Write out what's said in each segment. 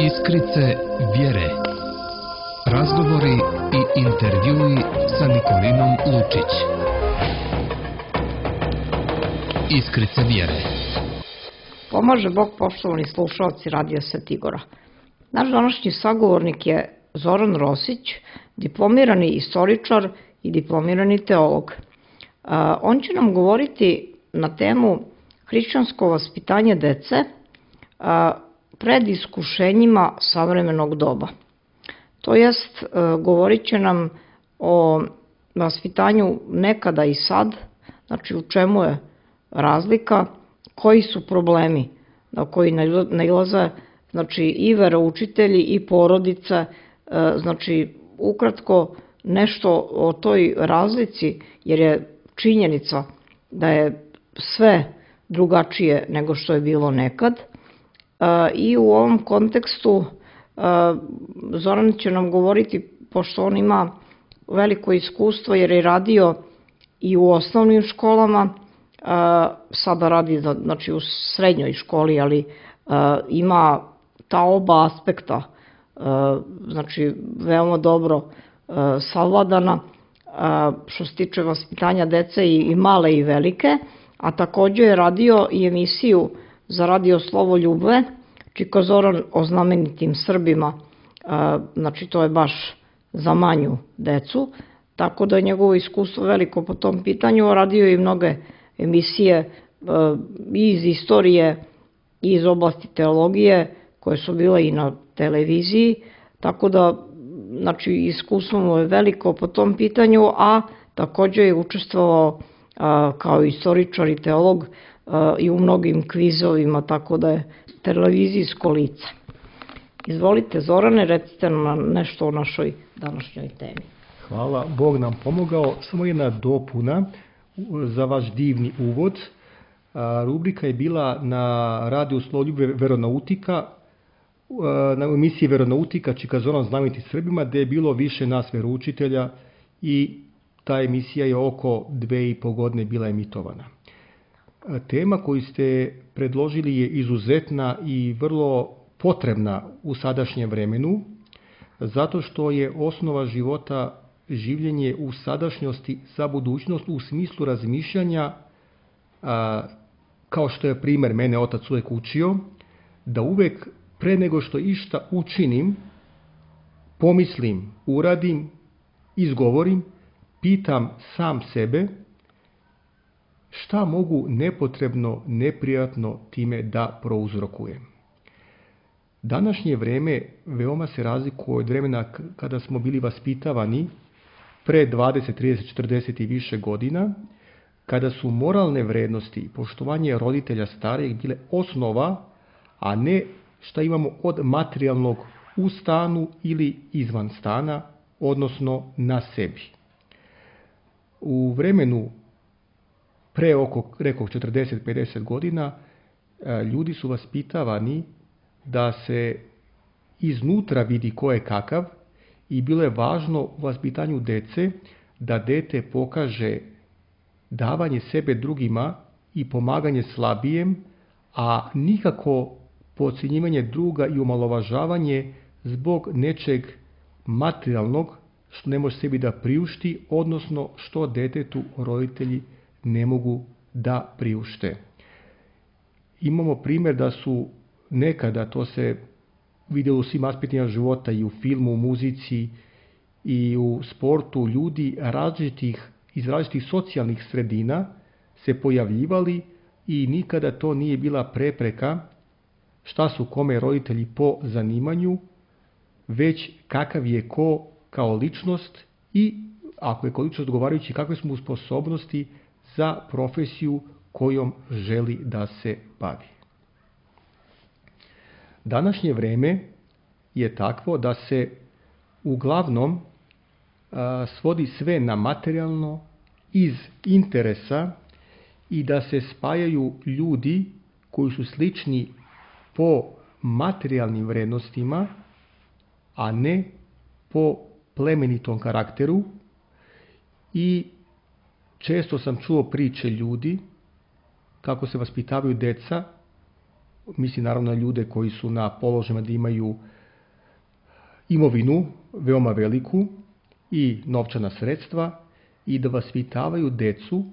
Iskrice vjere. Razgovori i intervjui sa Nikolinom Lučić. Iskrice vjere. Pomaže Bog, poštovani slušalci Radija Svet Igora. Naš današnji sagovornik je Zoran Rosić, diplomirani istoričar i diplomirani teolog. On će nam govoriti na temu hrišćansko vaspitanje dece pred iskušenjima savremenog doba. To jest, govorit će nam o vaspitanju nekada i sad, znači u čemu je razlika, koji su problemi na koji nailaze, znači i veroučitelji i porodice, znači ukratko nešto o toj razlici, jer je činjenica da je sve drugačije nego što je bilo nekad. I u ovom kontekstu Zoran će nam govoriti, pošto on ima veliko iskustvo jer je radio i u osnovnim školama, sada radi znači u srednjoj školi, ali ima ta oba aspekta, znači veoma dobro savladana što se tiče vaspitanja dece i male i velike, a također je radio i emisiju za Radio Slovo Ljubve, Čika Zoran o znamenitim Srbima, znači to je baš za manju decu, tako da je njegovo iskustvo veliko po tom pitanju. Radio je i mnoge emisije i iz istorije i iz oblasti teologije koje su bile i na televiziji, tako da znači iskustvo mu je veliko po tom pitanju, a također je učestvovao kao istoričar i teolog i u mnogim kvizovima, tako da je televizijsko lice. Izvolite Zorane, recite nam nešto o našoj današnjoj temi. Hvala, Bog nam pomogao. Samo jedna dopuna za vaš divni uvod. Rubrika je bila na Radio Slovo Ljubve Veronautika, na emisiji Veronautika Čika Zoran znameniti Srbima, gdje je bilo više nas veroučitelja i ta emisija je oko 2,5 godine bila emitovana. Tema koju ste predložili je izuzetna i vrlo potrebna u sadašnjem vremenu, zato što je osnova života življenje u sadašnjosti za budućnost u smislu razmišljanja, kao što je primjer mene otac uvijek učio, da uvijek pre nego što išta učinim, pomislim, uradim, izgovorim, pitam sam sebe šta mogu nepotrebno, neprijatno time da prouzrokujem. Današnje vreme veoma se razlikuje od vremena kada smo bili vaspitavani pre 20, 30, 40 i više godina, kada su moralne vrednosti i poštovanje roditelja starijih bile osnova, a ne šta imamo od materijalnog u stanu ili izvan stana, odnosno na sebi. U vremenu pre oko, rekao, 40-50 godina ljudi su vaspitavani da se iznutra vidi ko je kakav i bilo je važno u vaspitanju dece da dete pokaže davanje sebe drugima i pomaganje slabijem, a nikako podcjenjivanje druga i omalovažavanje zbog nečeg materijalnog što ne može sebi da priušti, odnosno što detetu roditelji ne mogu da priušte. Imamo primjer da su nekada, to se vidjelo u svim aspektima života, i u filmu, u muzici i u sportu, ljudi iz različitih socijalnih sredina se pojavljivali i nikada to nije bila prepreka šta su kome roditelji po zanimanju, već kakav je ko kao ličnost i, ako je kao ličnost odgovarajući, kakve smo sposobnosti za profesiju kojom želi da se bavi. Današnje vreme je takvo da se uglavnom svodi sve na materijalno iz interesa i da se spajaju ljudi koji su slični po materijalnim vrednostima, a ne po plemenitom karakteru. I često sam čuo priče ljudi kako se vaspitavaju deca mislim naravno na ljude koji su na položajima da imaju imovinu veoma veliku i novčana sredstva i da vaspitavaju decu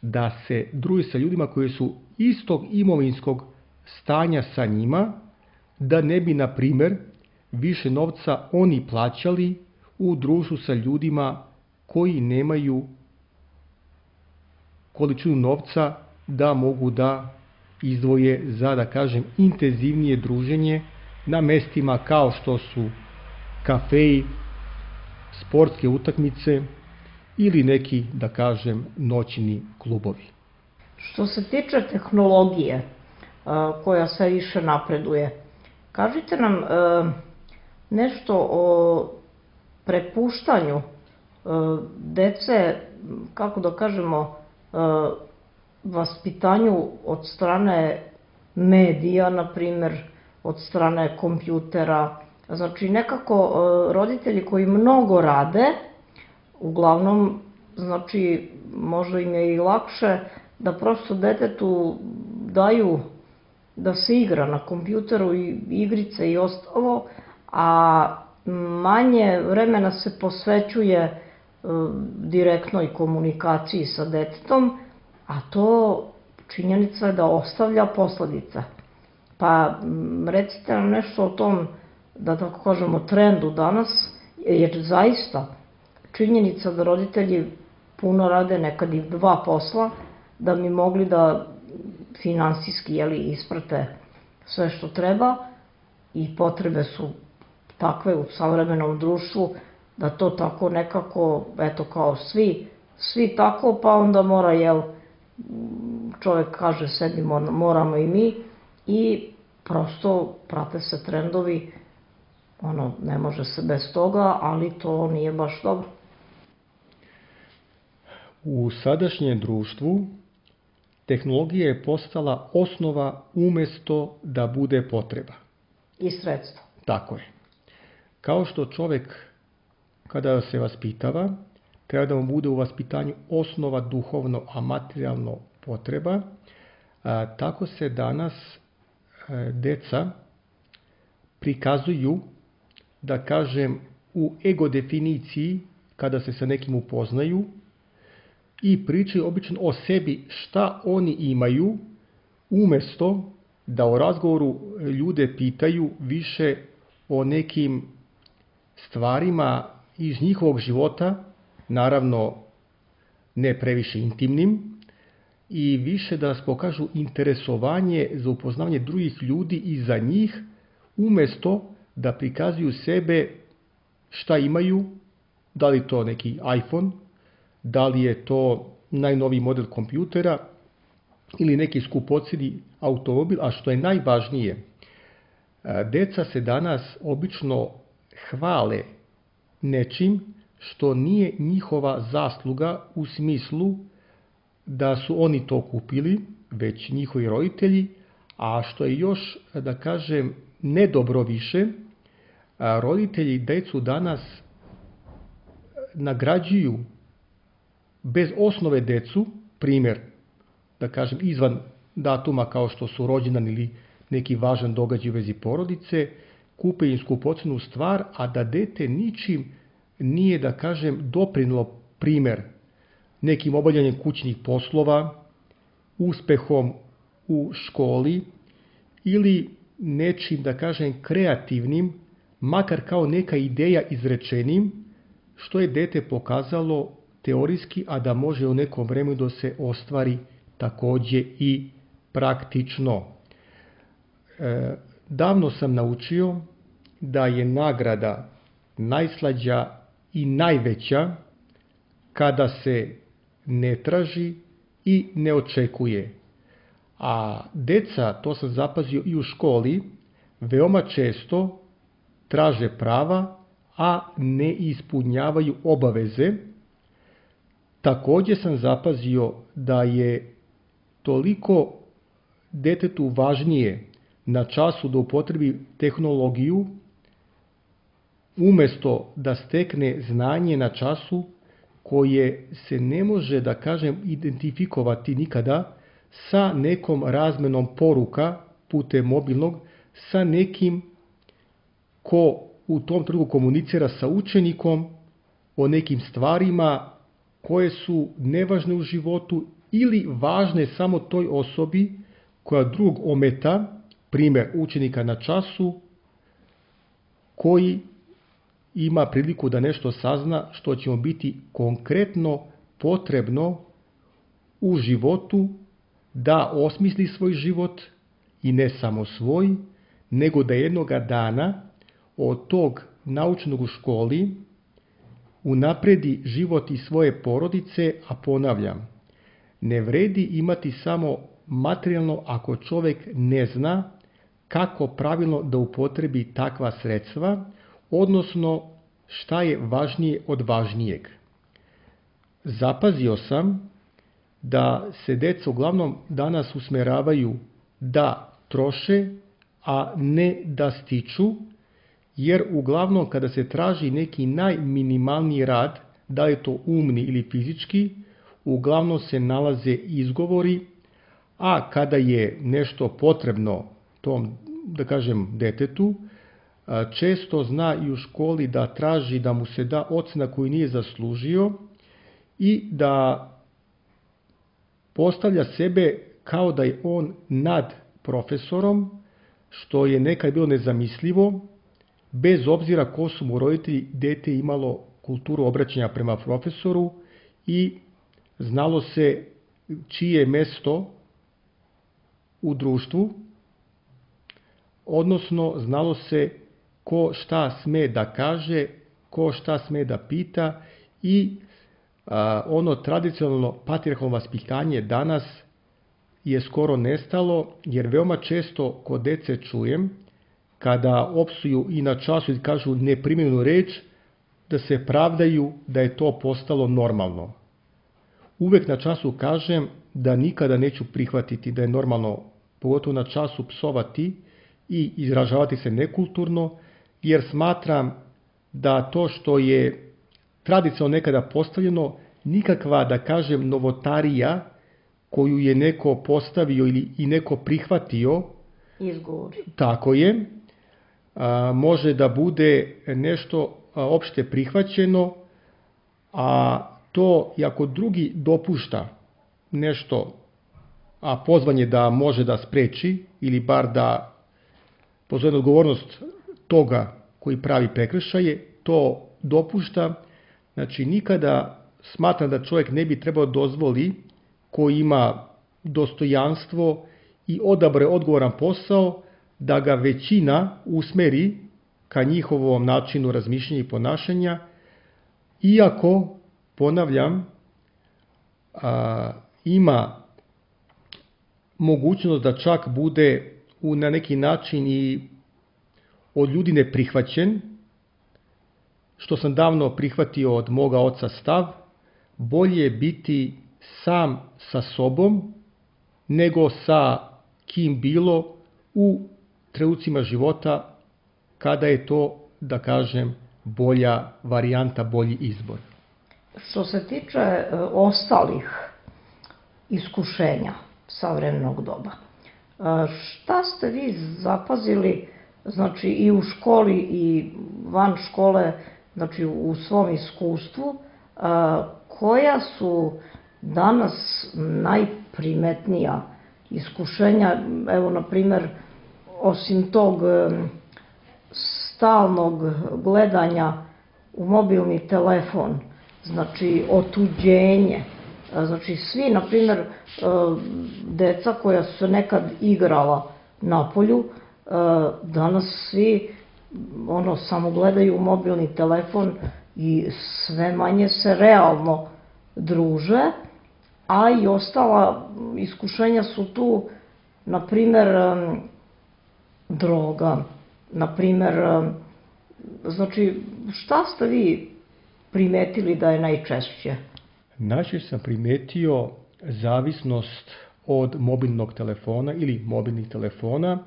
da se druže sa ljudima koji su istog imovinskog stanja sa njima, da ne bi, na primer, više novca oni plaćali u društvu sa ljudima koji nemaju količinu novca da mogu da izdvoje za, da kažem, intenzivnije druženje na mestima kao što su kafeji, sportske utakmice ili neki, da kažem, noćni klubovi. Što se tiče tehnologije koja sve više napreduje, kažite nam nešto o prepuštanju dece, kako da kažemo, vaspitanju od strane medija, na primer, od strane kompjutera. Znači, nekako roditelji koji mnogo rade, uglavnom, znači, možda im je i lakše da prosto detetu daju da se igra na kompjuteru i igrice i ostalo, a manje vremena se posvećuje direktnoj komunikaciji sa detetom, a to činjenica je da ostavlja posledice. Pa recite nam nešto o tom, da tako kažemo, trendu danas, jer zaista činjenica da roditelji puno rade, nekad i 2 posla, da bi mogli da finansijski isprate sve što treba, i potrebe su takve u savremenom društvu da to tako nekako, eto kao svi tako, pa onda mora, čovek kaže sebi moramo i mi, i prosto prate se trendovi, ne može se bez toga, ali to nije baš dobro. U sadašnjem društvu tehnologija je postala osnova umesto da bude potreba. I sredstvo. Tako je. Kao što čovek, kada se vaspitava, treba da mu bude u vaspitanju osnova duhovno, a materijalno potreba, tako se danas deca prikazuju, da kažem, u ego definiciji, kada se sa nekim upoznaju, i pričaju obično o sebi šta oni imaju, umesto da u razgovoru ljude pitaju više o nekim stvarima iz njihovog života, naravno ne previše intimnim, i više da pokažu interesovanje za upoznavanje drugih ljudi i za njih, umesto da prikazuju sebe šta imaju, da li to neki iPhone, da li je to najnoviji model kompjutera ili neki skupocjeni automobil, a što je najvažnije, deca se danas obično hvale nečim što nije njihova zasluga, u smislu da su oni to kupili, već njihovi roditelji, a što je još, da kažem, nedobro više, roditelji decu danas nagrađuju bez osnove decu, primjer, da kažem, izvan datuma kao što su rođendan ili neki važan događaj u vezi porodice, kupe im skupocenu stvar, a da dete ničim nije, da kažem, doprinelo, primjer, nekim obavljanjem kućnih poslova, uspehom u školi ili nečim, da kažem, kreativnim, makar kao neka ideja izrečenim, što je dete pokazalo teorijski, a da može u nekom vremenu da se ostvari takođe i praktično. Davno sam naučio da je nagrada najslađa i najveća kada se ne traži i ne očekuje. A deca, to sam zapazio i u školi, veoma često traže prava, a ne ispunjavaju obaveze. Takođe sam zapazio da je toliko detetu važnije na času da upotrebi tehnologiju, umesto da stekne znanje na času koje se ne može, da kažem, identifikovati nikada sa nekom razmenom poruka putem mobilnog sa nekim ko u tom trenutku komunicira sa učenikom o nekim stvarima koje su nevažne u životu ili važne samo toj osobi koja drugog ometa, primjer učenika na času, koji ima priliku da nešto sazna što će mu biti konkretno potrebno u životu da osmisli svoj život i ne samo svoj, nego da jednoga dana od tog naučenog u školi unapredi život i svoje porodice, a ponavljam, ne vredi imati samo materijalno ako čovjek ne zna kako pravilno da upotrebi takva sredstva, odnosno šta je važnije od važnijeg. Zapazio sam da se deca uglavnom danas usmeravaju da troše, a ne da stiču, jer uglavnom kada se traži neki najminimalniji rad, da je to umni ili fizički, uglavnom se nalaze izgovori, a kada je nešto potrebno tom, da kažem, detetu, često zna i u školi da traži da mu se da ocena koju nije zaslužio i da postavlja sebe kao da je on nad profesorom, što je nekad bilo nezamislivo, bez obzira ko su mu roditelji, dete imalo kulturu obraćanja prema profesoru i znalo se čije je mesto u društvu, odnosno znalo se ko šta sme da kaže, ko šta sme da pita i ono tradicionalno patrijarhalno vaspitanje danas je skoro nestalo, jer veoma često kod dece čujem kada opsuju i na času i kažu neprimjerenu reč, da se pravdaju da je to postalo normalno. Uvek na času kažem da nikada neću prihvatiti da je normalno, pogotovo na času, psovati i izražavati se nekulturno, jer smatram da to što je tradicionalno nekada postavljeno, nikakva, da kažem, novotarija koju je neko postavio ili i neko prihvatio, izgovor. Tako je, može da bude nešto opšte prihvaćeno, a to i ako drugi dopušta nešto, a pozvan je da može da spreči ili bar da pozove odgovornost toga koji pravi prekršaje, to dopušta. Znači nikada smatram da čovjek ne bi trebao dozvoli koji ima dostojanstvo i odabre odgovoran posao, da ga većina usmeri ka njihovom načinu razmišljanja i ponašanja, iako, ponavljam, ima mogućnost da čak bude na neki način i od ljudi neprihvaćen, što sam davno prihvatio od moga oca stav, bolje je biti sam sa sobom nego sa kim bilo u trenucima života kada je to, da kažem, bolja varijanta, bolji izbor. Što se tiče ostalih iskušenja savremenog doba, šta ste vi zapazili, znači i u školi i van škole, znači u svom iskustvu, koja su danas najprimetnija iskušenja, evo na primer, osim tog stalnog gledanja u mobilni telefon, znači otuđenje, znači svi, na primer, deca koja su se nekad igrala napolju, danas svi samo gledaju u mobilni telefon i sve manje se realno druže, a i ostala iskušenja su tu, na primer, droga, na primer, znači šta ste vi primetili da je najčešće? Najčešće sam primetio zavisnost od mobilnog telefona ili mobilnih telefona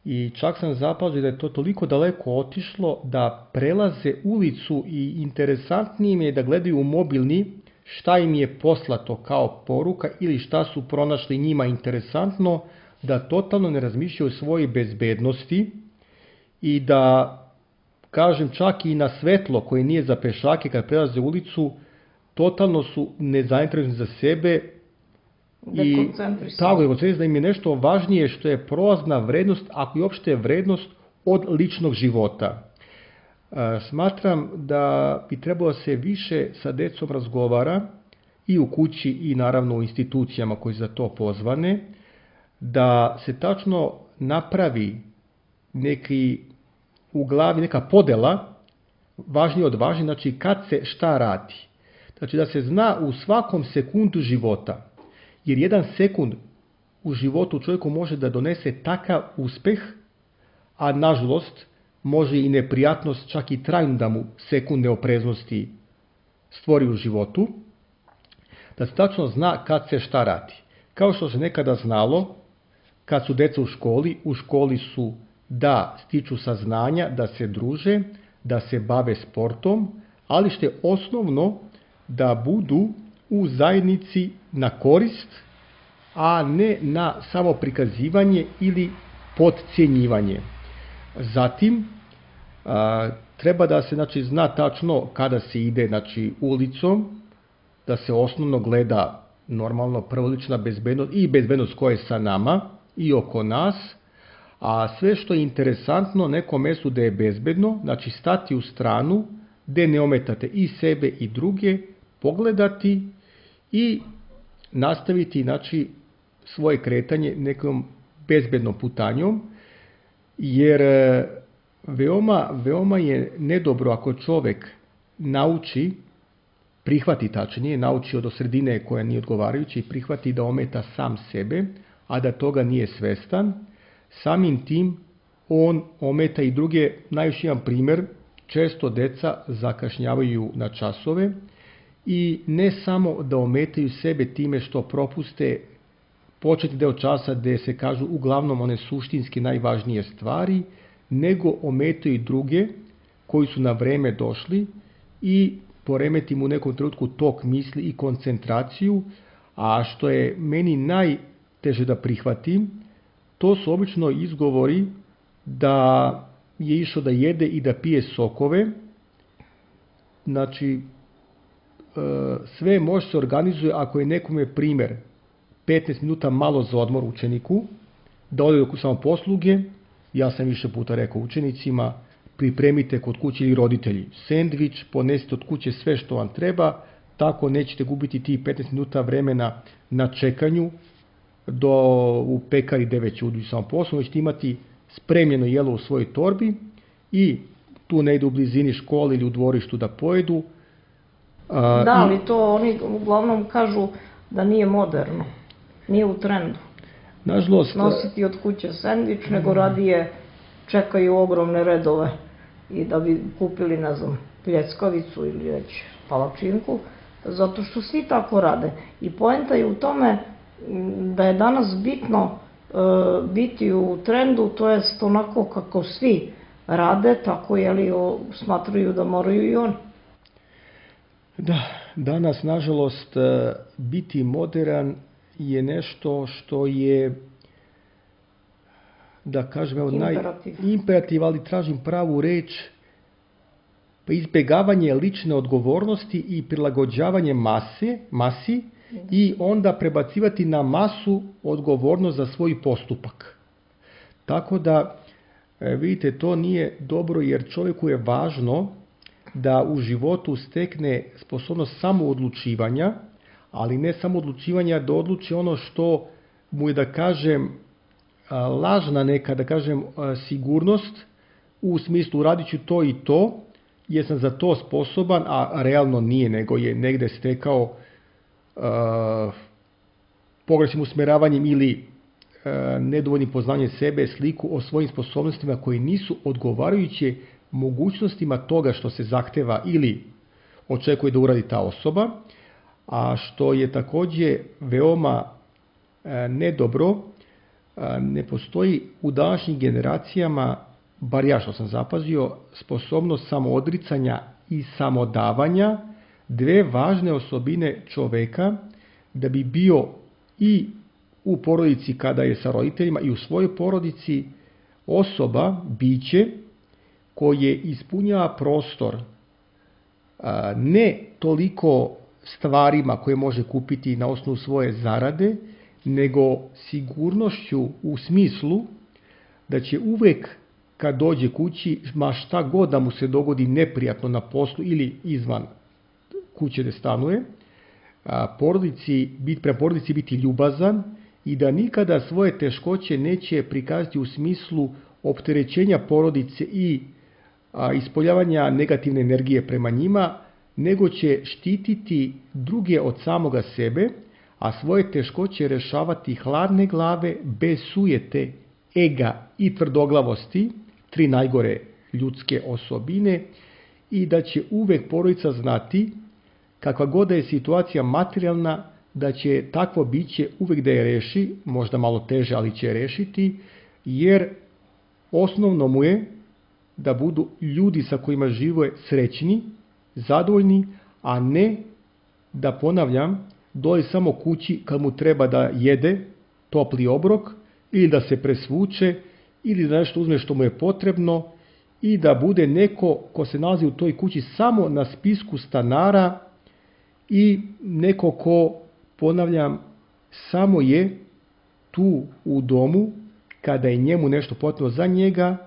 i čak sam zapazio da je to toliko daleko otišlo da prelaze ulicu i interesantnije im je da gledaju u mobilni šta im je poslato kao poruka ili šta su pronašli njima interesantno, da totalno ne razmišljaju o svojoj bezbednosti i da, kažem, čak i na svetlo koje nije za pešake kad prelaze ulicu, totalno su nezainteresovani za sebe i tako da im je nešto važnije što je prolazna vrednost, ako i uopšte je vrednost, od ličnog života. Smatram da bi trebalo se više sa decom razgovara i u kući i naravno u institucijama koji za to pozvane, da se tačno napravi u glavi neka podela važnije od važnije, znači kad se šta radi. Znači da se zna u svakom sekundu života, jer jedan sekund u životu čovjeku može da donese takav uspeh, a nažalost može i neprijatnost, čak i trajno da mu sekund neopreznosti stvori u životu, da se tačno zna kad se šta radi. Kao što se nekada znalo, kad su deca u školi su da stiču saznanja, da se druže, da se bave sportom, ali što je osnovno da budu u zajednici na korist, a ne na samo prikazivanje ili podcjenjivanje. Zatim, treba da se zna tačno kada se ide ulicom, da se osnovno gleda normalno prvolična bezbednost i bezbednost koja je sa nama i oko nas, a sve što je interesantno, nekom mjestu da je bezbedno, znači stati u stranu, gde ne ometate i sebe i druge, pogledati i nastaviti svoje kretanje nekom bezbednom putanjom, jer veoma je nedobro ako čovek nauči od sredine koja nije odgovarajuća i prihvati da ometa sam sebe, a da toga nije svestan, samim tim on ometa i druge. Najviše jedan primer, često deca zakašnjavaju na časove i ne samo da ometaju sebe time što propuste početni deo časa gde se kažu uglavnom one suštinski najvažnije stvari, nego ometaju i druge koji su na vreme došli i poremeti mu u nekom trenutku tok misli i koncentraciju, a što je meni najteže da prihvatim, to su obično izgovori da je išao da jede i da pije sokove. Znači, sve može se organizuje ako je nekome primer 15 minuta malo za odmor učeniku, da ode do samoposluge. Ja sam više puta rekao učenicima, pripremite kod kuće ili roditelji sendvič, ponesite od kuće sve što vam treba, tako nećete gubiti ti 15 minuta vremena na čekanju u pekari gde već uđu samoposlugu, ćete imati spremljeno jelo u svojoj torbi i tu ne idu u blizini škole ili u dvorištu da pojedu. Da, ali to oni uglavnom kažu da nije moderno, nije u trendu. Nažalost, nositi od kuće sendvič, nego radije čekaju ogromne redove i da bi kupili, ne znam, pljeskavicu ili već palačinku, zato što svi tako rade. I poenta je u tome da je danas bitno biti u trendu, to jest onako kako svi rade, tako smatraju da moraju i oni. Da, danas, nažalost, biti modern je nešto što je, da kažem, imperativ, ali tražim pravu reč, izbjegavanje lične odgovornosti i prilagođavanje masi i onda prebacivati na masu odgovornost za svoj postupak. Tako da, vidite, to nije dobro, jer čovjeku je važno da u životu stekne sposobnost samoodlučivanja, ali ne samo odlučivanja, da odluči ono što mu je, da kažem, lažna neka, da kažem, sigurnost, u smislu radit ću to i to, jer sam za to sposoban, a realno nije, nego je negde stekao pogrešnim usmeravanjem ili nedovoljnim poznanjem sebe sliku o svojim sposobnostima koji nisu odgovarajuće mogućnostima toga što se zahteva ili očekuje da uradi ta osoba, a što je takođe veoma nedobro, ne postoji u današnjim generacijama, bar ja što sam zapazio, sposobnost samoodricanja i samodavanja, dve važne osobine čoveka da bi bio i u porodici kada je sa roditeljima i u svojoj porodici osoba, biće koje ispunjava prostor ne toliko stvarima koje može kupiti na osnovu svoje zarade, nego sigurnošću u smislu da će uvek kad dođe kući, ma šta god da mu se dogodi neprijatno na poslu ili izvan kuće gde stanuje, prema porodici biti ljubazan i da nikada svoje teškoće neće prikazati u smislu opterećenja porodice i ispoljavanja negativne energije prema njima, nego će štititi druge od samoga sebe, a svoje teškoće rešavati hladne glave, bez sujete, ega i tvrdoglavosti, 3 najgore ljudske osobine, i da će uvek porodica znati, kakva god da je situacija materijalna, da će takvo biće uvek da je reši, možda malo teže, ali će je rešiti, jer osnovno mu je da budu ljudi sa kojima žive srećni, zadovoljni, a ne da, ponavljam, dođe samo kući kad mu treba da jede topli obrok ili da se presvuče ili da nešto uzme što mu je potrebno i da bude neko ko se nalazi u toj kući samo na spisku stanara i neko ko, ponavljam, samo je tu u domu kada je njemu nešto potrebno za njega,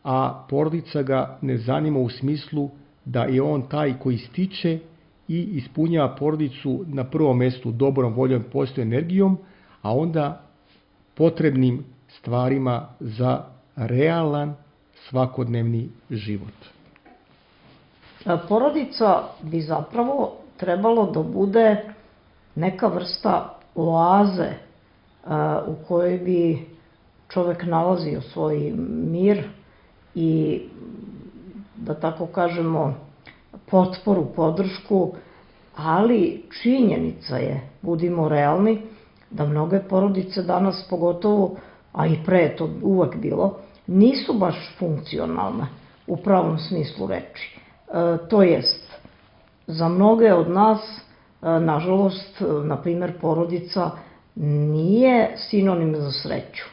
a porodica ga ne zanima u smislu da je on taj koji stiče i ispunjava porodicu na prvom mestu dobrom voljom, postojom energijom, a onda potrebnim stvarima za realan svakodnevni život. Porodica bi zapravo trebalo da bude neka vrsta oaze u kojoj bi čovek nalazio svoj mir i, da tako kažemo, potporu, podršku, ali činjenica je, budimo realni, da mnoge porodice danas pogotovo, a i pre je to uvek bilo, nisu baš funkcionalne u pravom smislu reči. To jest, za mnoge od nas, nažalost, na primer, porodica nije sinonim za sreću,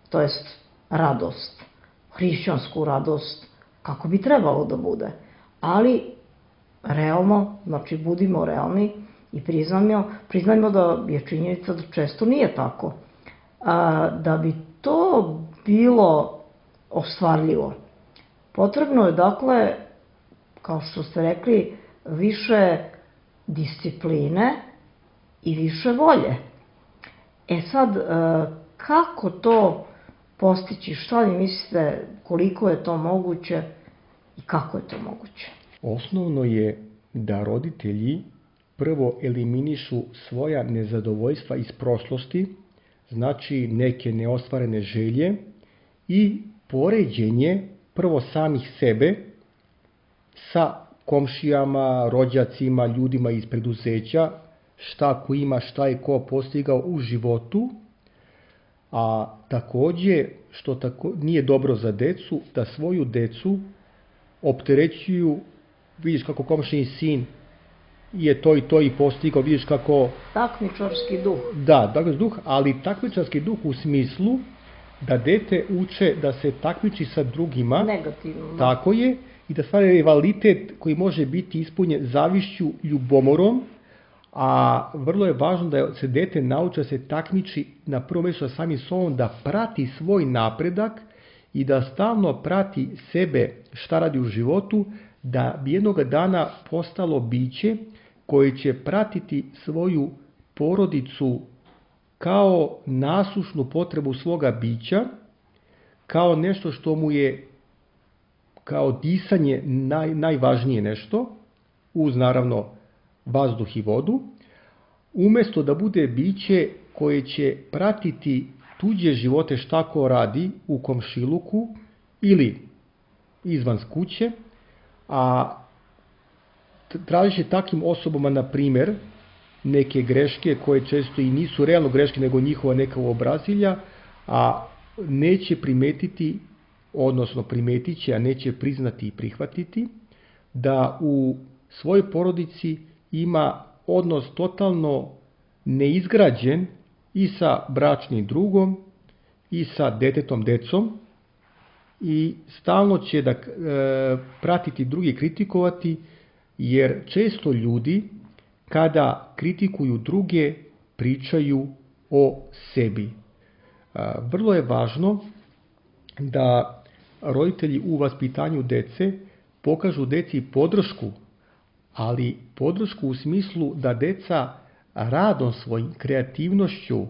to jest radost, hrišćansku radost, kako bi trebalo da bude. Ali, realno, znači budimo realni i priznajmo da je činjenica da često nije tako. Da bi to bilo ostvarljivo, potrebno je, dakle, kao što ste rekli, više discipline i više volje. Sad, kako to postići? Šta vi mislite, koliko je to moguće i kako je to moguće? Osnovno je da roditelji prvo eliminišu svoja nezadovoljstva iz prošlosti, znači neke neostvarene želje i poređenje prvo samih sebe sa komšijama, rođacima, ljudima iz preduzeća, šta ko ima, šta je ko postigao u životu, a takođe, što nije dobro za decu, da svoju decu opterećuju, vidiš kako komšin sin je to i to i postigao, vidiš kako... Takmičarski duh. Da, takmičarski duh, ali takmičarski duh u smislu da dete uče da se takmiči sa drugima. Negativno. Tako je, i da stvara rivalitet koji može biti ispunjen zavišću, ljubomorom, a vrlo je važno da se dete nauči da se takmiči na prvom mjestu sa samim sobom, da prati svoj napredak i da stalno prati sebe šta radi u životu, da bi jednog dana postalo biće koje će pratiti svoju porodicu kao nasušnu potrebu svoga bića, kao nešto što mu je kao disanje najvažnije nešto, uz naravno vazduh i vodu, umesto da bude biće koje će pratiti tuđe živote šta ko radi u komšiluku ili izvan kuće, a traži takvim osobama, na primer, neke greške koje često i nisu realno greške, nego njihova neka uobrazilja, a neće primetiti, odnosno primetit će, a neće priznati i prihvatiti, da u svojoj porodici ima odnos totalno neizgrađen i sa bračnim drugom i sa decom i stalno će da pratiti drugi kritikovati, jer često ljudi kada kritikuju druge pričaju o sebi. Vrlo je važno da roditelji u vaspitanju dece pokažu deci podršku, ali podršku u smislu da deca radom svojim, kreativnošću,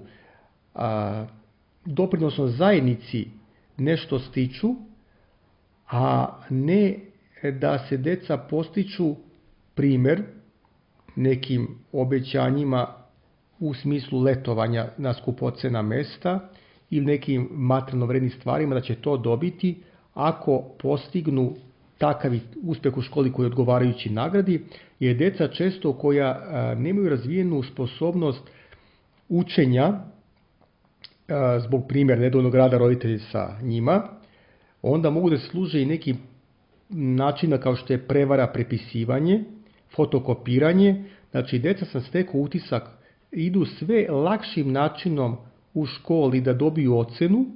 doprinosom zajednici nešto stiču, a ne da se deca postiču primer nekim obećanjima u smislu letovanja na skupocena mesta ili nekim materijalno vrednim stvarima da će to dobiti ako postignu takav uspeh u školi koji odgovarajući nagradi, jer deca često koja nemaju razvijenu sposobnost učenja zbog primjera nedovoljnog rada roditelji sa njima, onda mogu da služe i nekim načina kao što je prevara, prepisivanje, fotokopiranje. Znači, deca sam stekao utisak idu sve lakšim načinom u školi da dobiju ocenu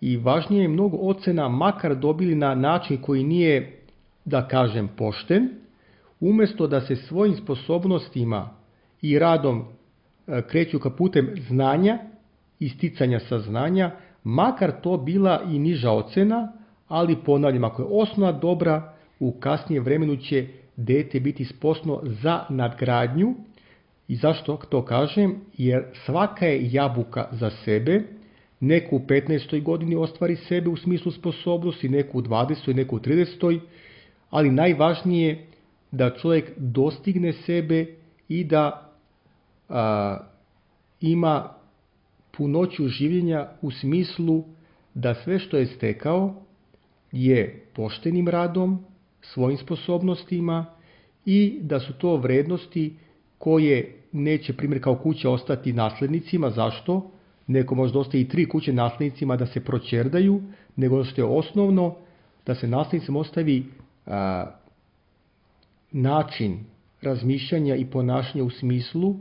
i važnije je mnogo ocena makar dobili na način koji nije, da kažem, pošten, umjesto da se svojim sposobnostima i radom kreću ka putem znanja i sticanja saznanja, makar to bila i niža ocena, ali ponavljam, ako je osnova dobra, u kasnijem vremenu će dete biti sposobno za nadgradnju. I zašto to kažem? Jer svaka je jabuka za sebe, neku u 15. godini ostvari sebe u smislu sposobnosti, neku u 20. neku u 30. Ali najvažnije je da čovjek dostigne sebe i da ima punoću življenja u smislu da sve što je stekao je poštenim radom, svojim sposobnostima i da su to vrednosti koje neće, primjer kao kuća, ostati naslednicima. Zašto? Neko možda ostaje i 3 kuće naslednicima da se proćerdaju, nego što je osnovno da se naslednicima ostavi način razmišljanja i ponašanja u smislu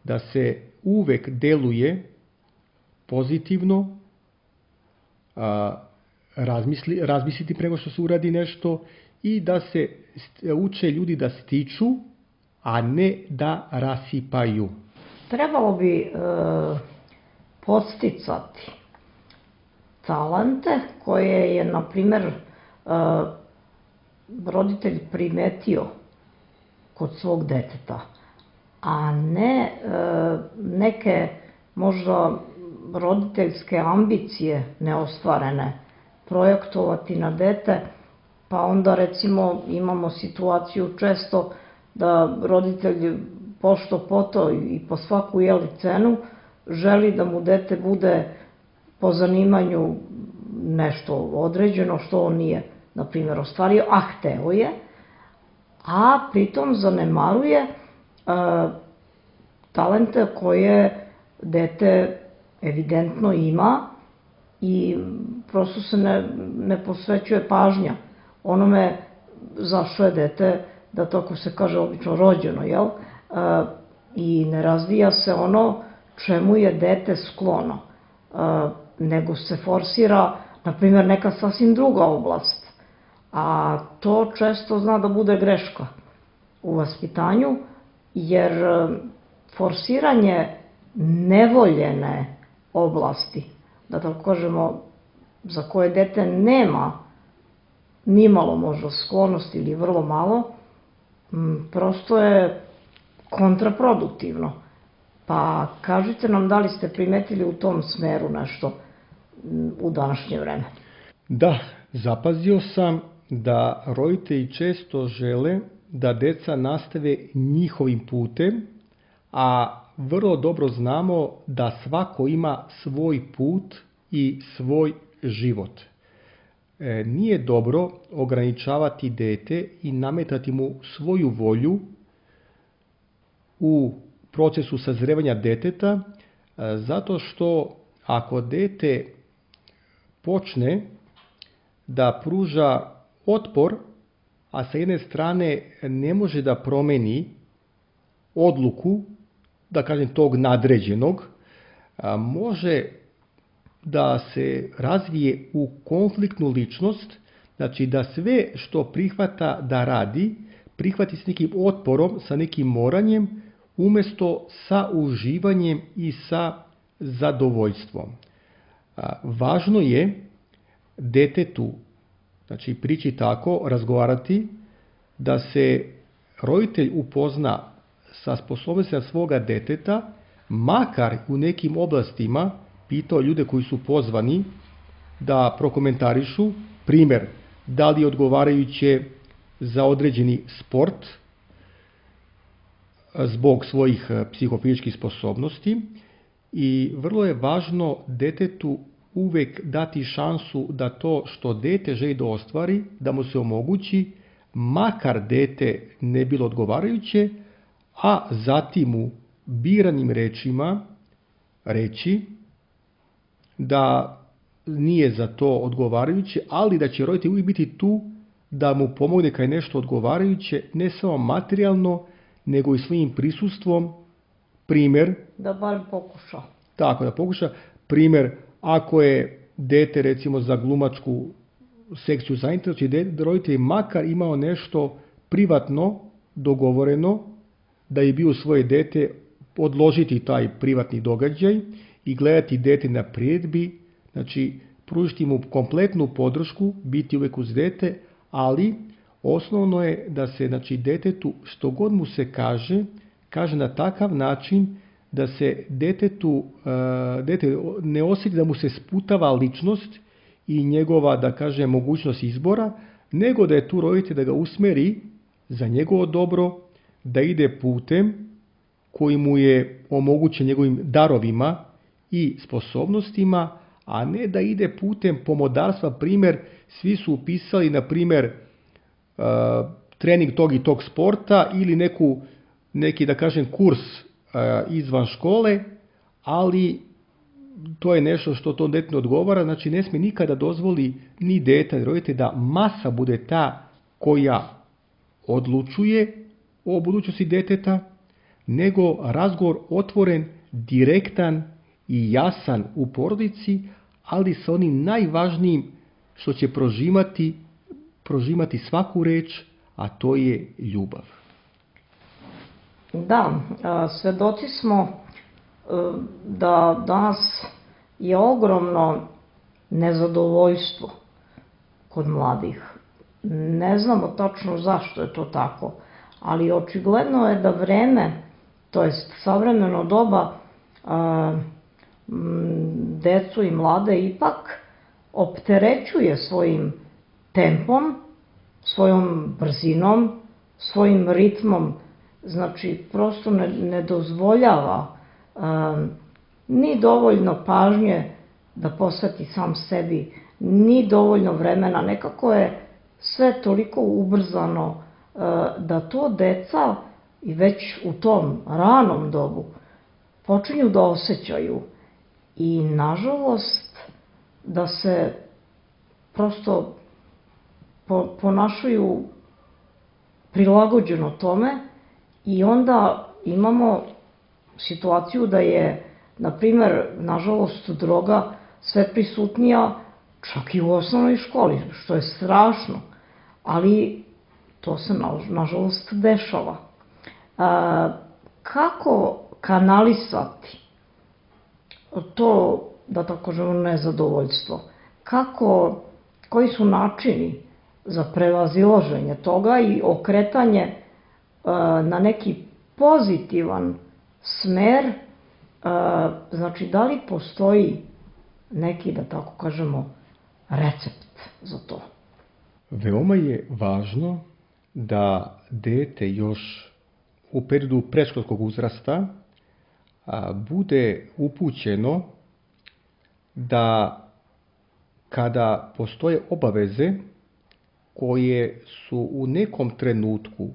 da se uvek deluje pozitivno, razmisliti prema što se uradi nešto i da se uče ljudi da stiču, a ne da rasipaju. Trebalo bi podsticati talente koje je, na primer, roditelj primetio kod svog deteta, a ne neke možda roditeljske ambicije neostvarene projektovati na dete, pa onda recimo imamo situaciju često da roditelj pošto poto i po svaku cenu želi da mu dete bude po zanimanju nešto određeno što on nije, na primjer, ostvario, a hteo je, a pritom zanemaruje talente koje dete evidentno ima i prosto se ne posvećuje pažnja onome zašto je dete, da tako se kaže, obično rođeno, jel? I ne razvija se ono čemu je dete sklono, nego se forsira, na primjer, neka sasvim druga oblast, a to često zna da bude greška u vaspitanju, jer forsiranje nevoljene oblasti, da tako kažemo, za koje dete nema nimalo možda sklonosti ili vrlo malo, prosto je kontraproduktivno. Pa kažite nam da li ste primetili u tom smeru nešto u današnje vreme? Da, zapazio sam da roditelji često žele da deca nastave njihovim putem, a vrlo dobro znamo da svako ima svoj put i svoj život. Nije dobro ograničavati dete i nametati mu svoju volju u procesu sazrevanja deteta, zato što ako dete počne da pruža otpor, a sa jedne strane ne može da promeni odluku, da kažem, tog nadređenog, može da se razvije u konfliktnu ličnost, znači da sve što prihvata da radi, prihvati s nekim otporom, sa nekim moranjem, umjesto sa uživanjem i sa zadovoljstvom. Važno je detetu, znači prići tako, razgovarati, da se roditelj upozna sa sposobnostima svoga deteta, makar u nekim oblastima pitao ljude koji su pozvani da prokomentarišu, primjer, da li je odgovarajuće za određeni sport zbog svojih psihofizičkih sposobnosti, i vrlo je važno detetu uvijek dati šansu da to što dete želi da ostvari, da mu se omogući, makar dete ne bilo odgovarajuće, a zatim mu biranim rečima reći da nije za to odgovarajuće, ali da će roditelj uvijek biti tu da mu pomogne kad je nešto odgovarajuće, ne samo materijalno, nego i svojim prisustvom. Primjer, da bar pokuša. Tako, da pokuša. Primjer, ako je dete recimo za glumačku sekciju zainteresovan, roditelj makar imao nešto privatno dogovoreno, da je bio svoje dete, odložiti taj privatni događaj i gledati dete na priredbi, znači pružiti mu kompletnu podršku, biti uvijek uz dete, ali osnovno je da se, znači, detetu što god mu se kaže na takav način da se dete ne osjeti da mu se sputava ličnost i njegova, da kaže, mogućnost izbora, nego da je tu roditelj da ga usmeri za njegovo dobro, da ide putem koji mu je omogućen njegovim darovima i sposobnostima, a ne da ide putem pomodarstva. Primjer, svi su upisali, na primjer, trening tog i tog sporta ili neki, da kažem, kurs izvan škole, ali to je nešto što tom djetetu ne odgovara. Znači, ne smije nikada dozvoli ni dete, ni roditelj da masa bude ta koja odlučuje o budućnosti djeteta, nego razgovor otvoren, direktan i jasan u porodici, ali sa onim najvažnijim što će prožimati svaku reč, a to je ljubav. Da, svedoci smo da danas je ogromno nezadovoljstvo kod mladih. Ne znamo tačno zašto je to tako, ali očigledno je da vreme, to jest savremeno doba, decu i mlade ipak opterećuje svojim tempom, svojom brzinom, svojim ritmom. Znači, prosto ne dozvoljava ni dovoljno pažnje da posveti sam sebi, ni dovoljno vremena. Nekako je sve toliko ubrzano da to deca i već u tom ranom dobu počinju da osjećaju i nažalost da se prosto ponašaju prilagođeno tome, i onda imamo situaciju da je, na primjer, nažalost, droga sve prisutnija čak i u osnovnoj školi, što je strašno, ali to se nažalost dešava. Kako kanalisati to, da tako kažemo, nezadovoljstvo? Koji su načini za prevazilaženje toga i okretanje na neki pozitivan smer? Znači, da li postoji neki, da tako kažemo, recept za to? Veoma je važno da dete još u periodu predškolskog uzrasta bude upućeno da kada postoje obaveze koje su u nekom trenutku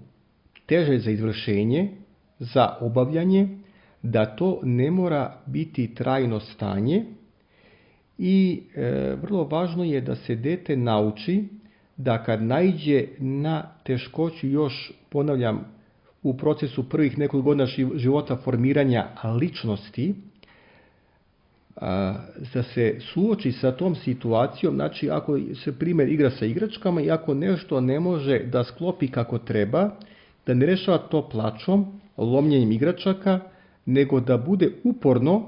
teže za izvršenje, za obavljanje, da to ne mora biti trajno stanje, i vrlo važno je da se dete nauči da kad naiđe na teškoću, još ponavljam, u procesu prvih nekoliko godina života formiranja ličnosti, da se suoči sa tom situacijom, znači ako se primjer igra sa igračkama i ako nešto ne može da sklopi kako treba, da ne rešava to plačom, lomljenjem igračaka, nego da bude uporno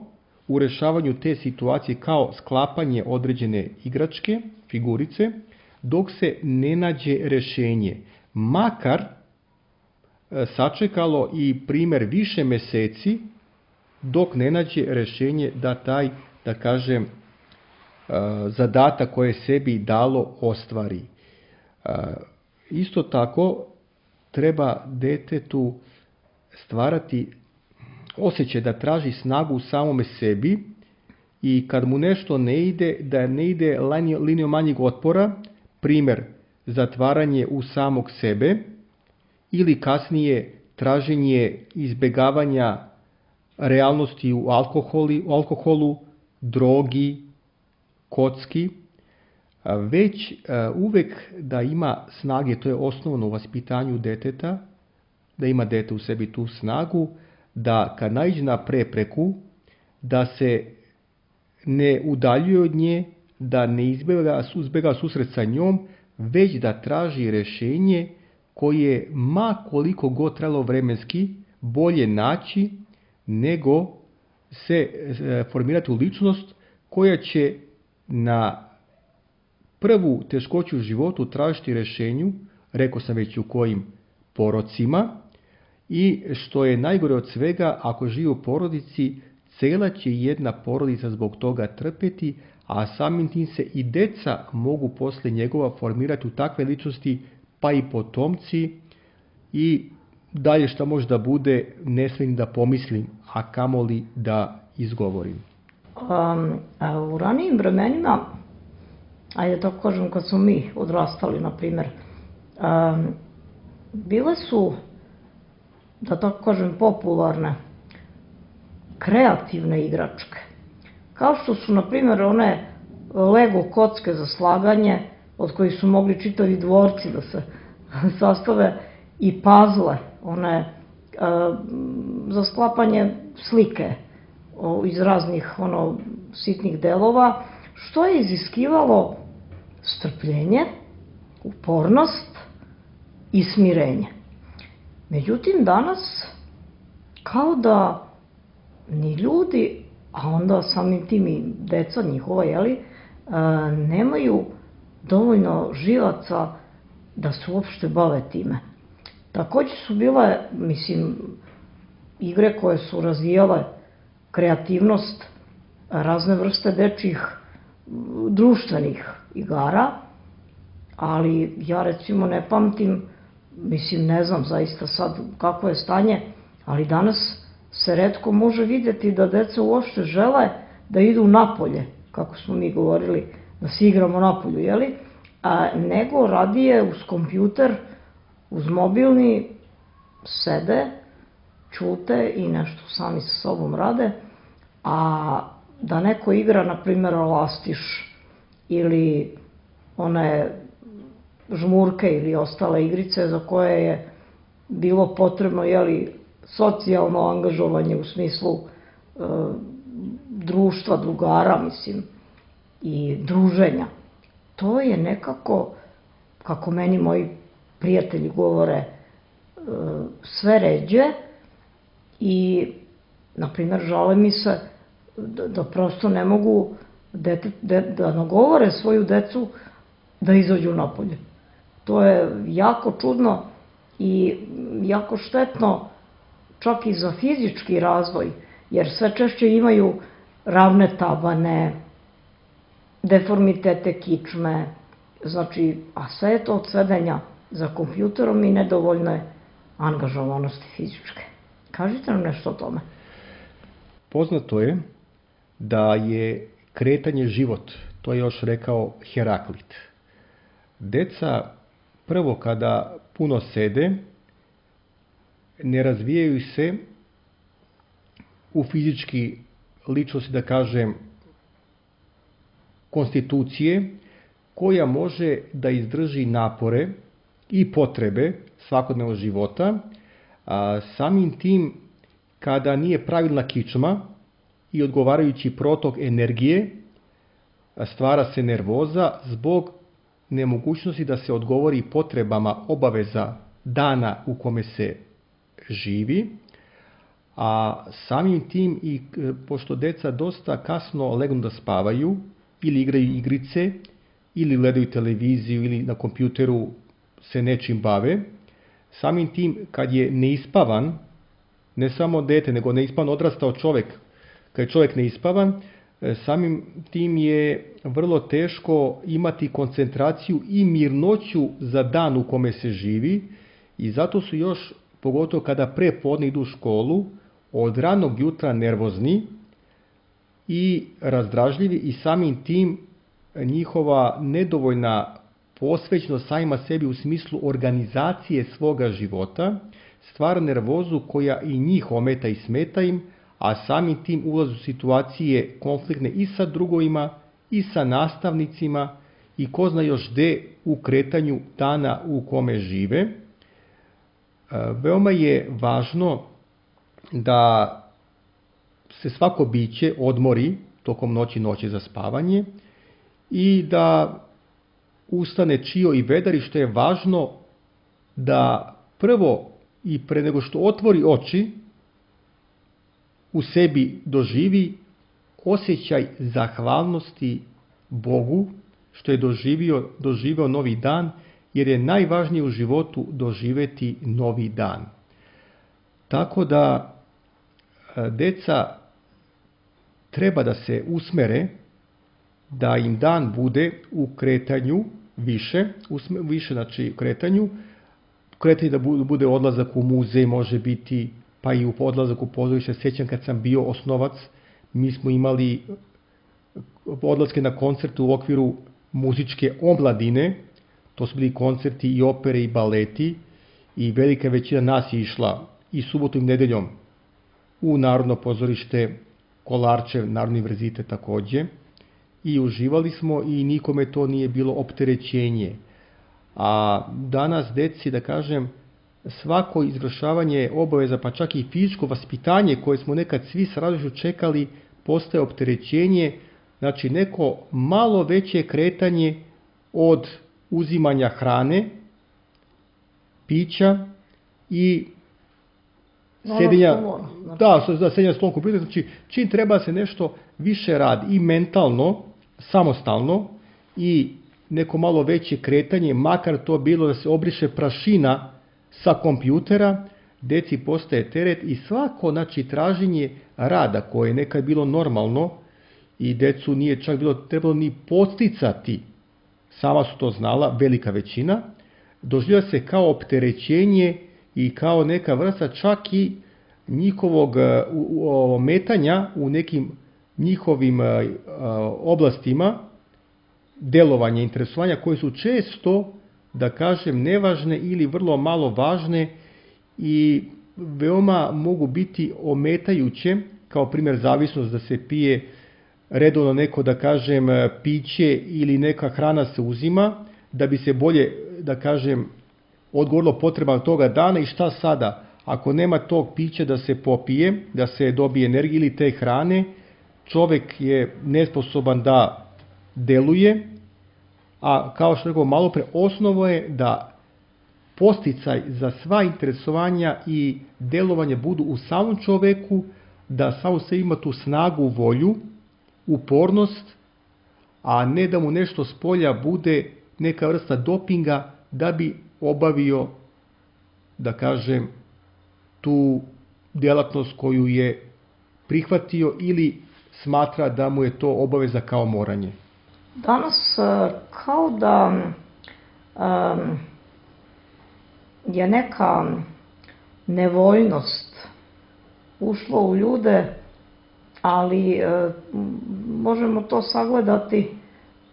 u rešavanju te situacije kao sklapanje određene igračke, figurice, dok se ne nađe rešenje. Makar sačekalo i primjer više meseci dok ne nađe rešenje da taj, da kažem, zadatak koje sebi dalo ostvari. Isto tako treba detetu stvarati osjećaj da traži snagu u samome sebi i kad mu nešto ne ide, da ne ide linijom manjeg otpora, primjer zatvaranje u samog sebe ili kasnije traženje izbjegavanja realnosti u alkoholu, drogi, kocki, već uvek da ima snage, to je osnovno u vaspitanju deteta, da ima dete u sebi tu snagu, da kad naiđe na prepreku, da se ne udaljuje od nje, da ne izbjega susret sa njom, već da traži rešenje koje ma koliko god trebalo vremenski bolje naći nego se formirati u ličnost koja će na prvu teškoću u životu tražiti rešenju, rekao sam već u kojim porocima, i što je najgore od svega, ako živi u porodici, cela će jedna porodica zbog toga trpeti, a samim tim se i deca mogu posle njegova formirati u takve ličnosti, pa i potomci, i dalje šta može da bude, ne smijem da pomislim, a kamoli da izgovorim. U ranijim vremenima, ajde tako kažem, kad smo mi odrastali, na primjer, bile su, da tako kažem, popularne kreativne igračke. Kao što su, na primjer, one Lego kocke za slaganje, od kojih su mogli čitavi dvorci da se sastave, i puzzle, one za sklapanje slike iz raznih sitnih delova, što je iziskivalo strpljenje, upornost i smirenje. Međutim, danas, kao da ni ljudi, a onda samim tim i deca njihova, nemaju dovoljno živaca da se uopšte bave time. Takođe su bile, igre koje su razvijale kreativnost, razne vrste dečjih društvenih igara, ali ja recimo ne pamtim, ne znam zaista sad kako je stanje, ali danas se retko može vidjeti da deca uopšte žele da idu napolje, kako smo mi govorili, da se igramo napolju, nego radije uz kompjuter, uz mobilni, sede, ćute i nešto sami sa sobom rade, a da neko igra, na primjer, lastiš ili one žmurke ili ostale igrice za koje je bilo potrebno, socijalno angažovanje u smislu društva, drugara, i druženja. To je nekako, kako meni moji prijatelji govore, sve ređe i, na primjer, žale mi se da prosto ne mogu da nagovore svoju decu da izađu napolje. To je jako čudno i jako štetno čak i za fizički razvoj, jer sve češće imaju ravne tabane, deformitete kičme, a sve je to od sedenja za kompjuterom i nedovoljne angažovanosti fizičke. Kažite nam nešto o tome. Poznato je da je kretanje život, to je još rekao Heraklit. Deca prvo kada puno sede, ne razvijaju se u fizički ličnosti, da kažem, konstitucije koja može da izdrži napore i potrebe svakodnevnog života. Samim tim, kada nije pravilna kičma, i odgovarajući protok energije, stvara se nervoza zbog nemogućnosti da se odgovori potrebama obaveza dana u kome se živi, a samim tim i pošto deca dosta kasno legnu da spavaju ili igraju igrice ili gledaju televiziju ili na kompjuteru se nečim bave, samim tim kad je neispavan, ne samo dete nego neispavan odrastao čovjek, kad je čovjek neispavan, samim tim je vrlo teško imati koncentraciju i mirnoću za dan u kome se živi i zato su još, pogotovo kada prepodne idu u školu, od ranog jutra nervozni i razdražljivi i samim tim njihova nedovoljna posvećnost samima sebi u smislu organizacije svoga života stvara nervozu koja i njih ometa i smeta im, a samim tim ulaze u situacije konfliktne i sa drugovima i sa nastavnicima i ko zna još gde u kretanju dana u kome žive. Veoma je važno da se svako biće odmori tokom noći za spavanje i da ustane čio i vedari, što je važno da prvo i pre nego što otvori oči u sebi doživi osjećaj zahvalnosti Bogu što je doživeo novi dan, jer je najvažnije u životu doživeti novi dan. Tako da deca treba da se usmere da im dan bude u kretanju više znači u kretanju da bude odlazak u muzej, može biti pa i odlazak u pozorište. Sjećam kad sam bio osnovac, mi smo imali odlaske na koncerte u okviru muzičke omladine, to su bili koncerti i opere i baleti i velika većina nas je išla i subotom i nedeljom u Narodno pozorište Kolarčev, Narodni univerzitet takođe, i uživali smo i nikome to nije bilo opterećenje. A danas deci, da kažem, svako izvršavanje obaveza, pa čak i fizičko vaspitanje koje smo nekad svi s radošću čekali, postaje opterećenje, znači neko malo veće kretanje od uzimanja hrane, pića i sedenja, sedenja stolom kompjuter, znači čim treba se nešto više radi i mentalno, samostalno i neko malo veće kretanje, makar to bilo da se obriše prašina sa kompjutera, deci postaje teret i svako, znači, traženje rada koje je nekad bilo normalno i decu nije čak bilo trebalo ni podsticati, sama su to znala, velika većina, doživlja se kao opterećenje i kao neka vrsta čak i njihovog ometanja u nekim njihovim oblastima delovanja, interesovanja koje su često, da kažem, nevažne ili vrlo malo važne i veoma mogu biti ometajuće, kao primjer zavisnost da se pije redovno neko, da kažem, piće ili neka hrana se uzima, da bi se bolje, da kažem, odgovorilo potrebama toga dana i šta sada? Ako nema tog pića da se popije, da se dobije energija ili te hrane, čovek je nesposoban da deluje, a kao što rekao malo pre, osnovo je da podsticaj za sva interesovanja i delovanje budu u samom čoveku, da samo se ima tu snagu, volju, upornost, a ne da mu nešto s polja bude neka vrsta dopinga da bi obavio, da kažem, tu djelatnost koju je prihvatio ili smatra da mu je to obaveza kao moranje. Danas kao da je neka nevoljnost ušla u ljude, ali možemo to sagledati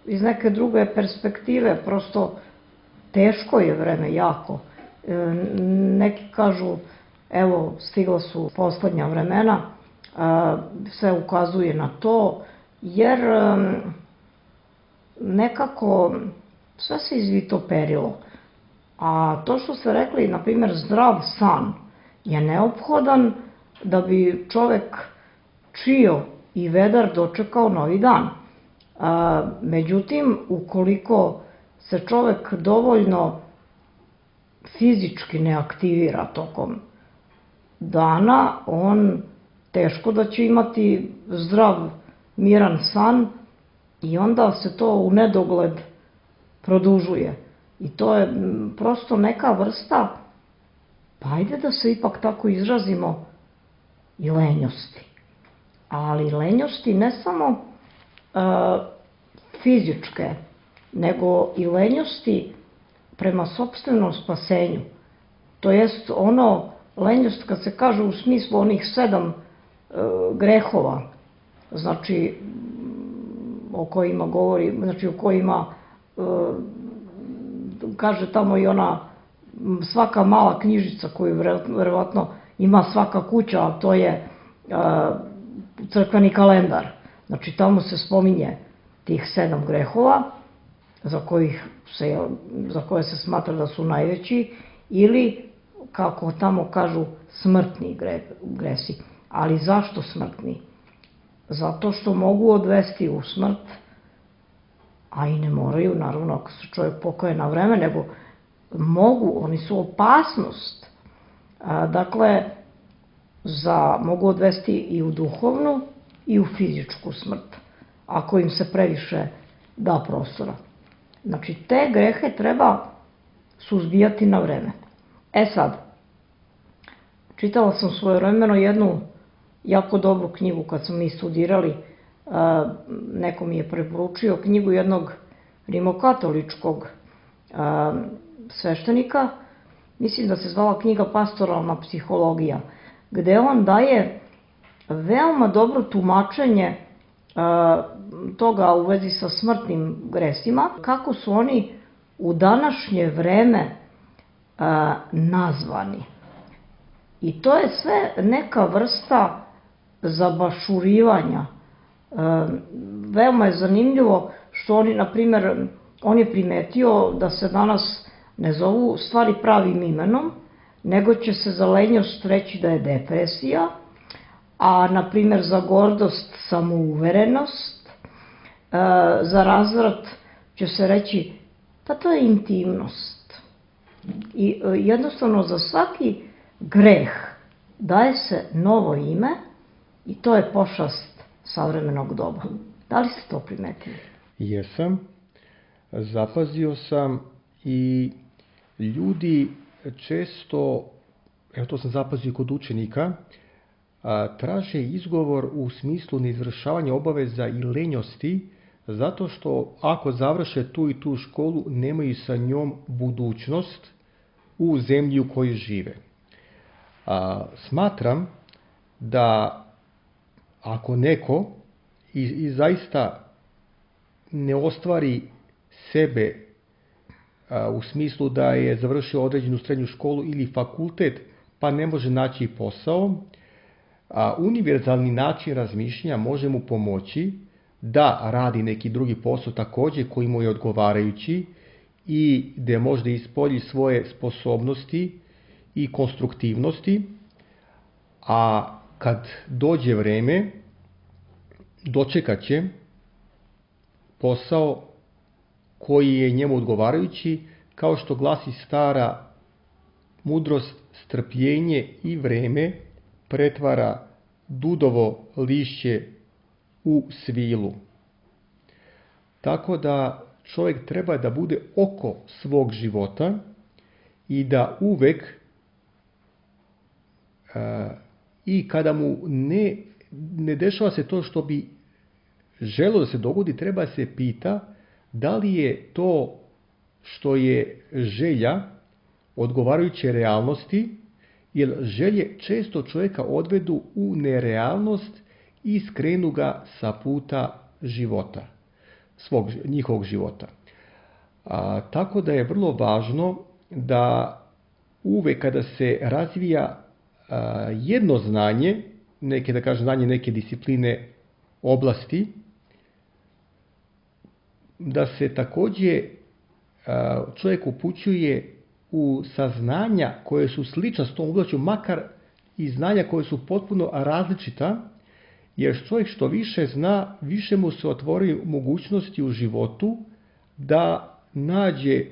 iz neke druge perspektive, prosto teško je vreme jako. Neki kažu, evo, stigla su poslednja vremena, sve ukazuje na to, jer nekako sve se izvitoperilo. A to što ste rekli, na primjer, zdrav san je neophodan da bi čovek čio i vedar dočekao novi dan. Međutim, ukoliko se čovek dovoljno fizički ne aktivira tokom dana, on teško da će imati zdrav, miran san i onda se to u nedogled produžuje. I to je prosto neka vrsta, pa ajde da se ipak tako izrazimo, i lenjosti. Ali lenjosti ne samo fizičke, nego i lenjosti prema sopstvenom spasenju. To jest ono lenjost kad se kaže u smislu onih 7 grehova, znači o kojima govori, znači o kojima kaže tamo i ona svaka mala knjižica koju verovatno ima svaka kuća, a to je crkveni kalendar. Znači tamo se spominje tih 7 grehova za koje se smatra da su najveći, ili kako tamo kažu smrtni gresi. Ali zašto smrtni? Zato što mogu odvesti u smrt, a i ne moraju, naravno ako se čovjek pokaje na vreme, nego mogu, oni su opasnost. Dakle, mogu odvesti i u duhovnu i u fizičku smrt, ako im se previše da prostora. Znači, te grehe treba suzbijati na vreme. Sad, čitala sam svojevremeno jednu jako dobru knjigu kad smo mi studirali, neko mi je preporučio knjigu jednog rimokatoličkog sveštenika, mislim da se zvala knjiga Pastoralna psihologija, gde on daje veoma dobro tumačenje toga u vezi sa smrtnim gresima, kako su oni u današnje vreme nazvani. I to je sve neka vrsta zabašurivanja. Veoma je zanimljivo što oni, na primjer, on je primetio da se danas ne zovu stvari pravim imenom, nego će se za lenjost reći da je depresija, a na primjer za gordost samouverenost, za razvrat će se reći pa to je intimnost. I jednostavno za svaki greh daje se novo ime i to je pošast savremenog doba. Da li ste to primetili? Jesam, zapazio sam i ljudi često, evo to sam zapazio kod učenika, traže izgovor u smislu neizvršavanja obaveza i lenjosti, zato što ako završe tu i tu školu, nemaju sa njom budućnost u zemlji u kojoj žive. Smatram da ako neko i zaista ne ostvari sebe u smislu da je završio određenu srednju školu ili fakultet, pa ne može naći posao, univerzalni način razmišljanja može mu pomoći da radi neki drugi posao također koji mu je odgovarajući i gde možda ispolji svoje sposobnosti i konstruktivnosti, a kad dođe vreme, dočekat će posao koji je njemu odgovarajući, kao što glasi stara mudrost, strpljenje i vreme pretvara dudovo lišće u svilu. Tako da čovjek treba da bude oko svog života i da uvek i kada mu ne dešava se to što bi želeo da se dogodi, treba se pita da li je to što je želja odgovarajuće realnosti, jer želje često čovjeka odvedu u nerealnost i skrenu ga sa puta života, njihovog života. Tako da je vrlo važno da uvek kada se razvija jedno znanje, znanje neke discipline oblasti, da se također čovjek upućuje u saznanja koje su slična s tom oblašću, makar i znanja koje su potpuno različita, jer čovjek što više zna, više mu se otvori mogućnosti u životu da nađe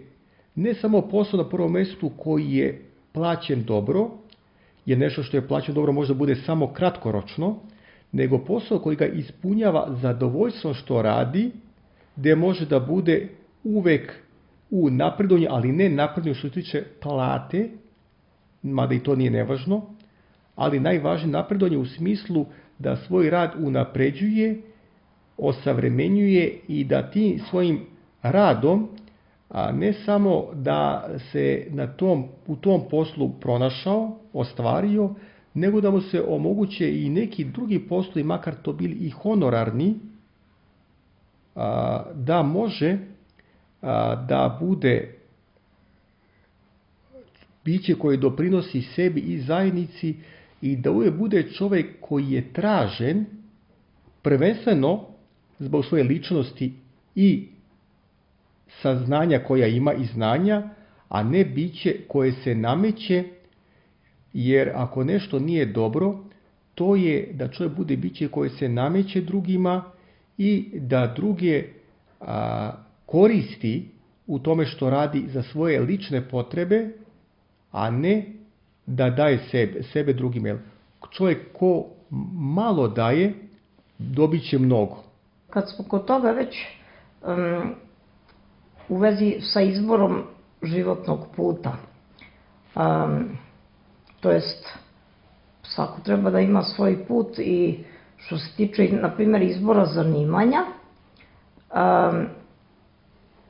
ne samo posao na prvom mjestu koji je plaćen dobro, jer nešto što je plaćeno dobro možda bude samo kratkoročno, nego posao koji ga ispunjava zadovoljstvom što radi, gdje može da bude uvek u napredovanju, ali ne napredovanju što se tiče plate, mada i to nije nevažno, ali najvažnije napredovanje u smislu da svoj rad unapređuje, osavremenjuje i da ti svojim radom, a ne samo da se u tom poslu pronašao, ostvario, nego da mu se omoguće i neki drugi poslovi, makar to bili i honorarni, da može da bude biće koje doprinosi sebi i zajednici i da uvijek bude čovjek koji je tražen prvenstveno zbog svoje ličnosti i saznanja koja ima i znanja, a ne biće koje se nameće, jer ako nešto nije dobro, to je da čovjek bude biće koje se nameće drugima i da druge koristi u tome što radi za svoje lične potrebe, a ne da daje sebe drugima. Čovjek ko malo daje, dobit će mnogo. Kad smo kod toga već u vezi sa izborom životnog puta, to jest svako treba da ima svoj put i što se tiče, na primjer, izbora zanimanja,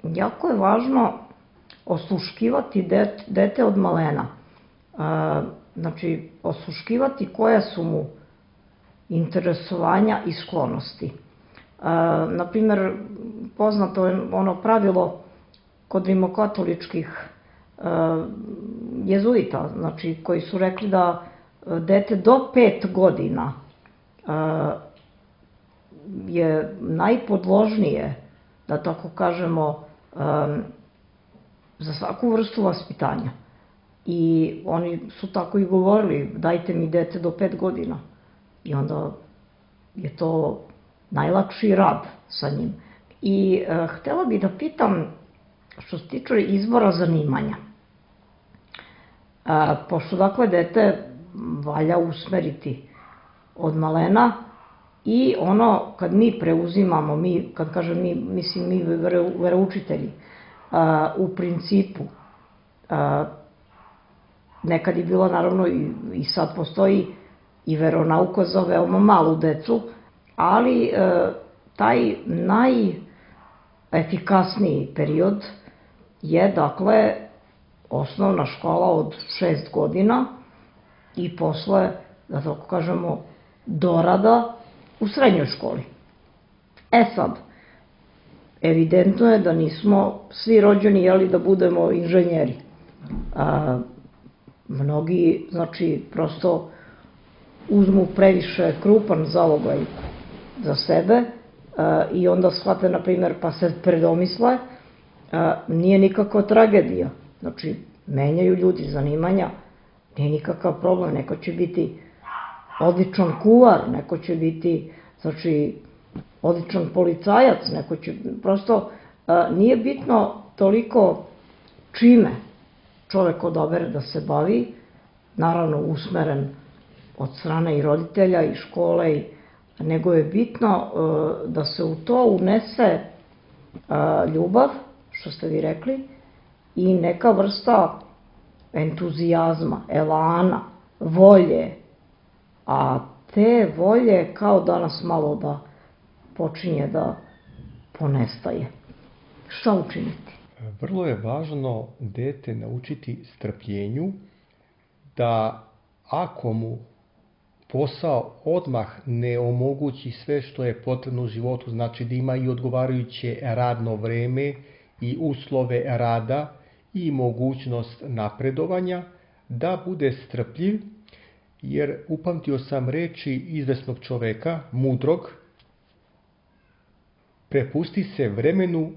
jako je važno osluškivati dete od malena. Znači, osluškivati koja su mu interesovanja i sklonosti. Na primjer, poznato je ono pravilo kod rimokatoličkih jezuita, znači, koji su rekli da dete do 5 godina je najpodložnije, da tako kažemo, za svaku vrstu vaspitanja. I oni su tako i govorili, dajte mi dete do 5 godina. I onda je to najlakši rad sa njim. I htjela bih da pitam, što se tiče izbora zanimanja. Pošto, dakle, dete valja usmeriti od malena i ono, kad mi preuzimamo, kad kažem mi, mislim mi veroučitelji, u principu, nekad je bilo, naravno, i sad postoji i veronauka za veoma malu decu, ali taj najefikasniji period je, dakle, osnovna škola od 6 godina i posle, da tako kažemo, dorada u srednjoj školi. Sad, evidentno je da nismo svi rođeni, jeli, da budemo inženjeri. Mnogi, znači, prosto uzmu previše krupan zalogaj za sebe i onda shvate, na primjer, pa se predomisle, nije nikakva tragedija. Znači, menjaju ljudi zanimanja, nije nikakav problem, neko će biti odličan kuvar, neko će biti, znači, odličan policajac, neko će, prosto, nije bitno toliko čime čovek odabere da se bavi, naravno usmeren od strane i roditelja i škole, nego je bitno da se u to unese ljubav, što ste vi rekli, i neka vrsta entuzijazma, elana, volje, a te volje kao danas malo da počinje da ponestaje. Šta učiniti? Vrlo je važno dete naučiti strpljenju, da ako mu posao odmah ne omogući sve što je potrebno u životu, znači da ima i odgovarajuće radno vreme i uslove rada i mogućnost napredovanja, da bude strpljiv, jer upamtio sam reči izvesnog čoveka, mudrog, prepusti se vremenu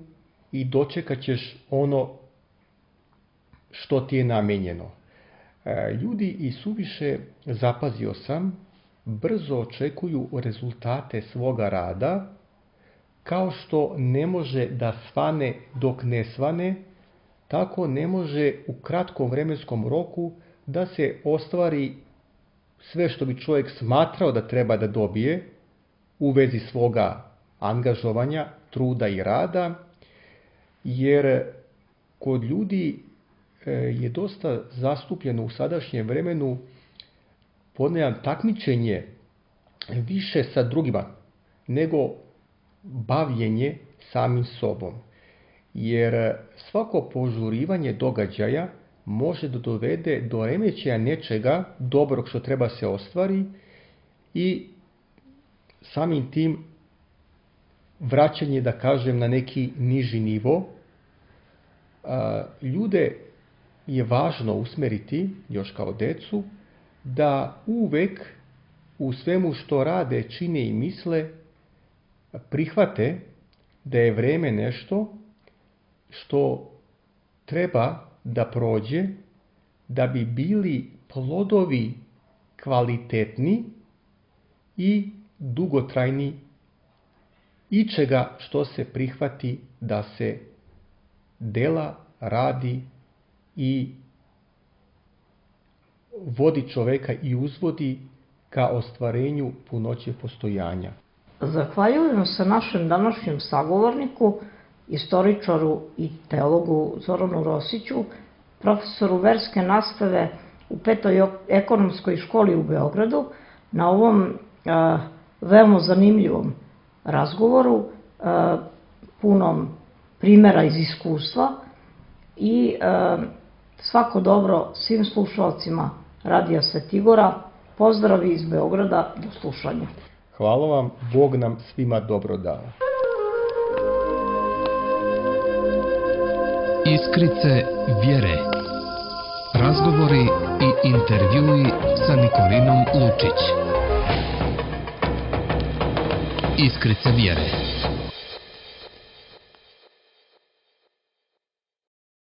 i dočekat ćeš ono što ti je namenjeno. Ljudi i suviše, zapazio sam, brzo očekuju rezultate svoga rada, kao što ne može da svane dok ne svane, tako ne može u kratkom vremenskom roku da se ostvari sve što bi čovjek smatrao da treba da dobije u vezi svoga angažovanja, truda i rada, jer kod ljudi je dosta zastupljeno u sadašnjem vremenu ponajam takmičenje više sa drugima nego bavljenje samim sobom. Jer svako požurivanje događaja može da dovede do remećaja nečega dobrog što treba se ostvari i samim tim vraćanje, da kažem, na neki niži nivo. Ljude je važno usmeriti, još kao decu, da uvek u svemu što rade, čine i misle prihvate da je vreme nešto što treba da prođe da bi bili plodovi kvalitetni i dugotrajni ičega što se prihvati da se dela, radi i vodi čoveka i uzvodi ka ostvarenju punoće postojanja. Zahvaljujem se našem današnjem sagovorniku, istoričaru i teologu Zoranu Rosiću, profesoru verske nastave u 5. ekonomskoj školi u Beogradu, na ovom veoma zanimljivom razgovoru, punom primera iz iskustva, i svako dobro svim slušalcima Radija Svetigora. Pozdravi iz Beograda, do slušanja. Hvala vam, Bog nam svima dobro dao. Iskrice vjere. Razgovori i intervjui sa Nikolinom Lučić. Iskrice vjere.